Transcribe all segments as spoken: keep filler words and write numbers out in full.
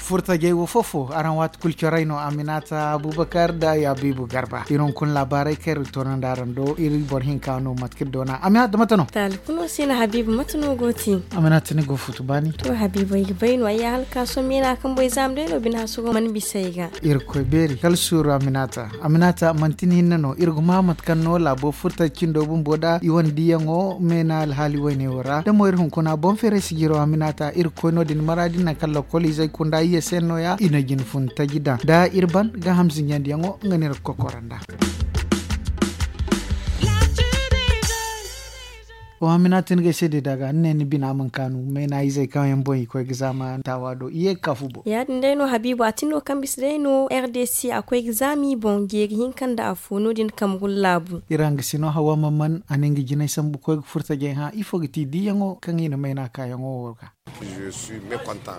Furtajey wo fofo araŋ waati kulu corey no, aminata abubakar da yabibu garba iri hunkuna laabaarey kaŋ iri ga toonandi araŋ do iri boro hinka no mate kaŋ iri doona aminata mate no? Taali kuno si no habiibu mate no go ti? Aminata ni go futu baani. To habiibu ay ga bay no ay ya hala ka sohõ meena kaŋ boy zaama day no bine hasuro mana bisa ay ga. Irkoy beeri kala suuru aminata. Aminata manti ni hinne no iri ga ma mate kaŋ no laabo furta cindo bumbo da i wane diyaŋo meena alhaali wayne wo ra da mo iri hunkuna boŋ feeray sijiro aminata iri ga koy no- din maraadi nangu kaŋ lokol izey kunda iyye se no- ya i na jine fun taji daŋ da iri ban ga hamzinyandiyaŋo nga no iri ga kokora nd'a. Wa hamina tin ga ay se day da ga ni ne ni bina man kaanu meena izey kaŋ yaŋ boŋ i koy ga zaama taawa do i ye ga ka fu boŋ. Ya- din day no habiibu a tin no kaŋ bisa day no r d c a koy ga zaama i boŋ jeeri hinka nda afo no- din kamrun laabu. Iri hangasino hawa man man a ne nga jinay sambu koy ga furtajey hã ifo ga ti diyaŋo kaŋ i na mayna kaayaŋo wo ga?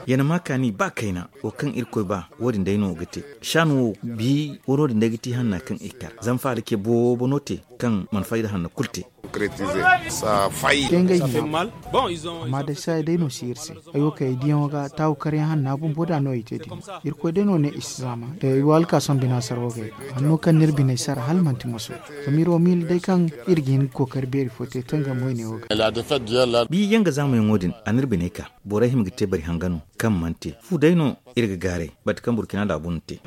Yana ma kaani ba kayna wo kaŋ irkoy ba wo- din day no ga te. Saani wo bi wo no- din day ga ti hanna kaŋ i kar zama faala ce boobo no te kaŋ mana fayda hanno kulu te. Te ngey hima amma day saaya day no si iri se. Hayo kaŋ ay diyaŋo ga taawu karyaŋ hanna bumbo da no ay te din. Irkoy day no ne i si zaama da ay wo alkaason bina sara wo gay ga hanno kaŋ no iri biney sara hala manti moso. Zama iri wo miila day kaŋ iri ga hin ga kookari beeri fo te tangam wayne wo ga. Bi yaŋ ga zaamayaŋo din a na iri biney ka borey hima ga te bari hanga no kaŋ mana te fu day no iri ga gaaray bate kaŋ burkina laabu na te.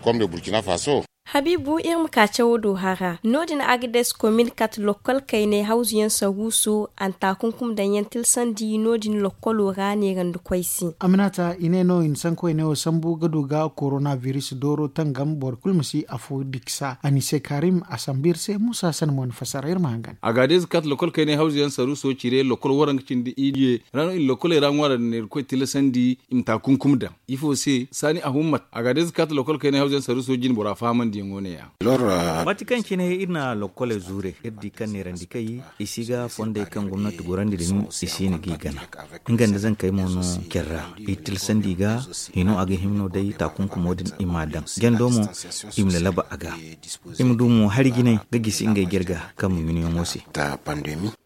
Habiibu iri ma ka cawo do hara no- din agades komin kate lokkol kaynay hawzuyaŋ saruuso a na taakunkum daŋ yaŋ tilsandi no- din lokkolo ra neerandikoy se. Aminata i ne no i na sankoy ne wo sambu ga du ga korona biris dooro tangam boro kulu ma si afo diksa a ni se karim a sambu iri se muusa sanda mo ni fassara iri ma hangan. Agades kate lokkol kaynay hawzuyaŋ saruuso cire lokkol waranka cindi iyye ra no i na lokkoley ra ŋwaara da neerikoy tilsandi i ma taakunkum daŋ. Ifo se saani ahummat a ga day zakaata lokol kaynay hawzayaŋ saruuso jinbora fahamandiyaŋo ne-ya. Waati kaŋ cine iri na lokkoley zuure iri di kaŋ neerandi kay i si ga fondey kaŋ gomnati gorandi din i si no g'i gana. Nga nda zankey mo no care ra i tilsandi ga hino a ga hima no day taakunkumo din i m'a daŋ jando mo i ma lalaba a ga. I ma du mo hari jinay ga gisi ngey jirga kaŋ ma yunyaŋo se.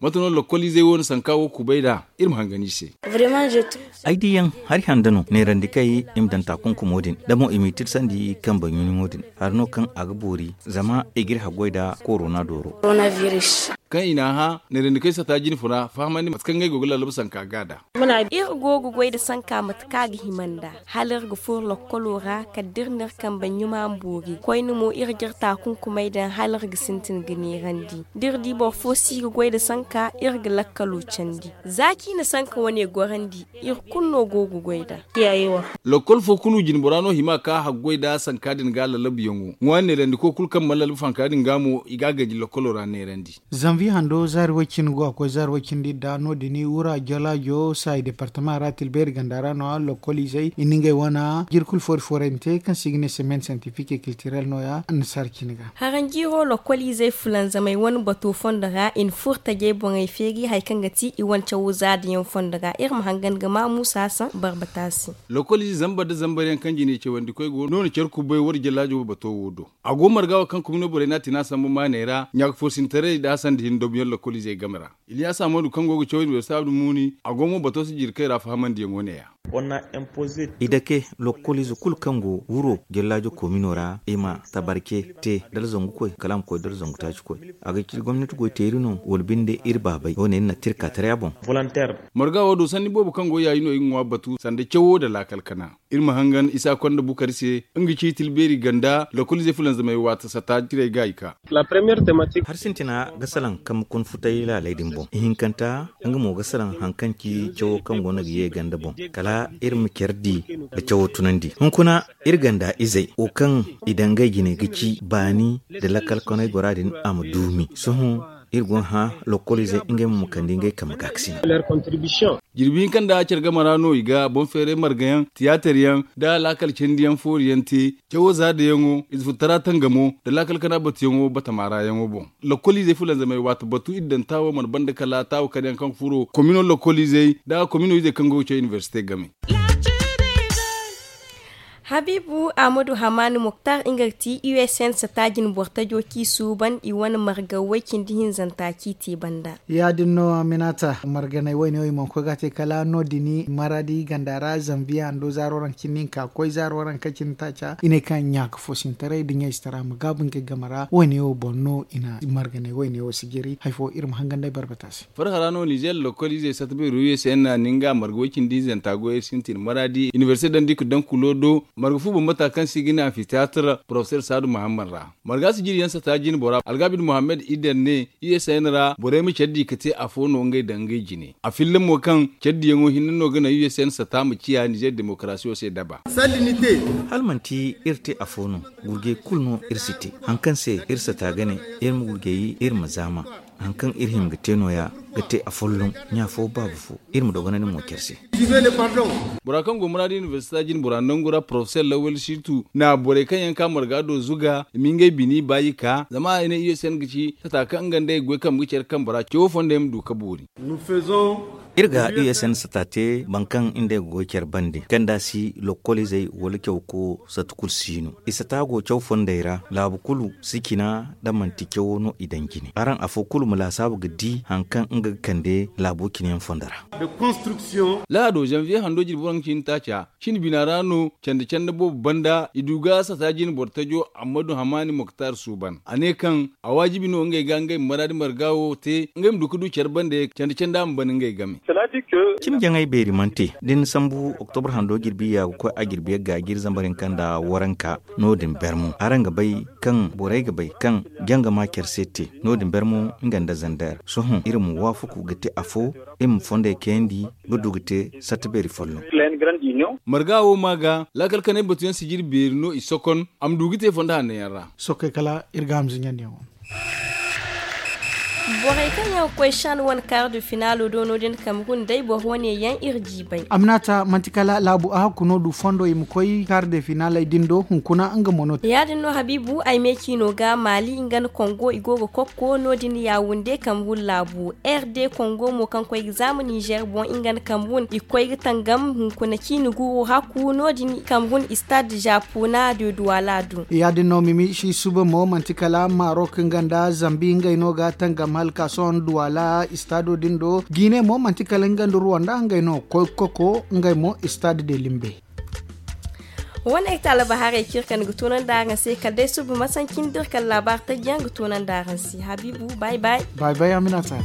Mate no lokkoliizey wo na sanka wo kubay nd'a iri ma hangan i se. Ay diyaŋ hari handa no neerandi kay i ma daŋ taakunkumo din da mo i m'i tirsandi kambe ɲuɲumo din hari no kaŋ a ga boori zama i g'iri haggoy nda korona dooro. Kaŋ i n'a hã neerandi kay sata jine funa fahamandi mate kaŋ ngey go ga lallaba sanka ga nd'a. Iri go ga goy nda sanka mate kaŋ a ga hima nd'a hala iri ga furo lokkolo ra kala da iri na iri kambe ɲuma ma boori koyne mo iri g'iri taakunkumey daŋ hala iri ga sintin ga neerandi da iri di boro fo si ga goy nda sanka iri ga lakkalo candi. Za kaŋ i na sanka wane gorandi iri kulu no go ga goy nd'a. Lokkol fo kulu jinbora no hima ka haggoy nda sanka din ga lalabuyaŋo ŋwa neerandiko kulu kaŋ mana lalabu fanka din ga mo i ga a ganji lokkolo ra neerandi. Zanviye hando zaari way cindi go a koy zaari way cindi nda no- din wura jalaajo saayi departama ra tilbeeri ganda ra no- ya lokkoliizey i na ngey wane jiri kulu foori foorayante kaŋ se i ga ne semaine scientifique et culturelle no- ya annasaara cine ga. Haranjiiro lokkoliizey fulanzamey wane bato fondo ra i na furo tajey boŋey feeri hari kaŋ ga ti i wane cawo zaadayaŋ fondo ra iri ma hangan ga ma muusa saŋ barbata se. Lokkoliize zambar nda zambaryaŋ kaŋ jine cawandikoy go no na care kubay war jalaajo bato wo do. A go marga wo kaŋ kumino borey no a tina sambu maaney ra ɲaaka foosintaray nda a sanda hin dobuyaŋ lokkoliizey game ra. Iliyaasa moodu kaŋ go ga caw inibersita abdu muuni a go mo bato si jiri kay ra fahamandiyaŋo ne-ya. I dake lokkoliize kulu kaŋ go wuro jallaajo koomino ra i ma tabarce te dala zangu koy kala a ma koy dala zangu taaci koy. A ga ci gomnati goy teeri no wala binde iri baabay wo- ne iri na tirka taray a boŋ. Marga wo do sanni boobo kaŋ go yaayi no i ga ŋwa batu sanda cawo nda laakal kana. Iri ma hangan isa konda bukari se nga ci tilbeeri ganda lokkoliizey fulanzamey waata sata ciray ga i ka. Hari sintina ga salaŋ kambe kuna futay laaley din boŋ ihinkanta nga mo ga salaŋ hari kaŋ ci cawo kaŋ go no ga ye ganda boŋ kala iri ma care di ga cawo tunandi hunkuna iri ganda izey wo kaŋ i daŋ ngey jine ga ci baani nda lakkal kanay gora din a ma duumi sohõ iri go ga hã lokkoliizey ngey mo ma kande ngey kambe gaakasina. Jirbi hinka nda care game ra no i ga boŋ feeray margayaŋ tiyaataryaŋ nda laakal candiyaŋ fooriyaŋ te cawo zaadayaŋo ize futtara tangamo nda laakal kana batuyaŋo batama ra yaŋo boŋ. Lokkoliizey fulanzamey waati batu iri daŋ taawo mana banda kala taawo kala yaŋ kaŋ ga furo komino lokkoliizey nda komino izey kaŋ go ga caw inibersite game. Habiibu ahmadu hamaani muktar nga ga ti u s n sata jine boro tajo kaŋ i suuban i wane marga way cindi hinzanta kaŋ i te banda. Ya- din no, aminata marganey wayne wo i mana koy ga a te kala no- din maraadi ganda ra zambiya hando zaaro ranka cindi hinka koy zaaro ranka cindi taaca i ne kaŋ ɲaaka fo sintaray nda ɲayzetaray a ma gaabu ngey game ra. Wayne wo boŋ no i na marganey wayne wo sijiri hari fo iri ma hangan day barbata se. Farhara no nizer lokol izey sata beero u s n na nga marga way cindi hinzanta goy iri sintin maraadi inibersite dandi ka daŋ kulo do marga fu bambata kaŋ se i ga ne anfiteyatir porofeser saadu muhammad ra. Marga sijiri yaŋ sata jine bora algabid muhammad ider ne u s n ra borey ma care di ka te afo no ngey daŋ ngey jine a filla mo kaŋ care diyaŋo hinne no ga naŋ u s n sata ma ciya nizer demokarasiyo se daba. Hala manti iri te afo no gurgey kulu no iri si te hari kaŋ se iri sata ga ne iri ma gurgey iri ma zaama. Hari kaŋ iri hima ga te no- ya ga te afolloŋ ɲa fo baaba fo iri ma dogonandi mo care se. Bora kaŋ go muraadu inibersita jine bora nangu ra porofeser lawal situ na borey kaŋ yaŋ ka marga do zuga i ma ngey bini baayi ka zama i ne u s n ga ci sata kaŋ nga nda ay ga goy kambe ga care kambe ra cawo fondey ma du ka boori. Iri ga u s n sata te boro kaŋ nda ay ga goy care bande kaŋ nda a si lokol izey wala caw ko sata kulu si no i sata go caw fondey ra laabu kulu si cina nda manti cawo no i daŋ jine araŋ afo kulu ma laasaabu ga di hari kaŋ nga ga kande laabo cine yaŋ fondo ra. Lahado zanviye hando jirbi waranka cindi taaca cin bina ra no candi candi boobo banda i du ga sata jine boro tajo ammadu hamaani moktar suuban a ne kaŋ a waajibi no ngey ga ngey ma maraadi marga wo te ngey ma du ga du care bande candi candi a ma ban ngey game. Cimi jaŋay beeri mana te da ni sambu oktobra hando jirbi ya ga koy a jirbi yagga jirbi zambar hinka nda waranka no- din bermo araŋ ga bay kaŋ borey ga bay kaŋ jaŋ ga ma care se te no- din bermo nga nda zander sohõ iri ma waafaku ga te afo iri ma fondey kayandi ga du ga te satta beeri folloŋ. Marga wo ma ga laakal kanay batuyaŋ sijiri beeri no i sokon a ma du ga te fondo hanno yaŋ ra. Sohõ kay kala iri ga hamza ɲandiyaŋo. Borey kaŋ yaŋ ga koy shan wane kaar de finaalo do no- din kamerun day boro wane yaŋ iri jiibay. Aminata manti kala laabu a hakku no du fondo i ma koy kaar de finaaley din do hunkuna nga mo no. Ya- din no habiibu ay me ciino ga maali nga nda kongo i go ga kokko no- din yaawunde kamerun laabu r d kongo mo kaŋ koy ga zaama nizer boŋ nga nda kamerun i koy ga tangam hunkuna ciini guuru hakku no- din kamerun istad zapuna de duwala du. Ya- din no mimi si suba mo manti kala marok nga nda zambi ngey no ga tangam hala ka sohõ duwala istado din do. Gine mo manti kala nga nda ruwanda ngey no koy ga koko ngey mo istad de limbe. Wane ay taalaba haray kaŋ iri kande ga toonandi araŋ se kala day suba masanci nda iri kala laabaari taji yaŋ ga toonandi araŋ se habiibu. Bay bay. Bay bay aminata.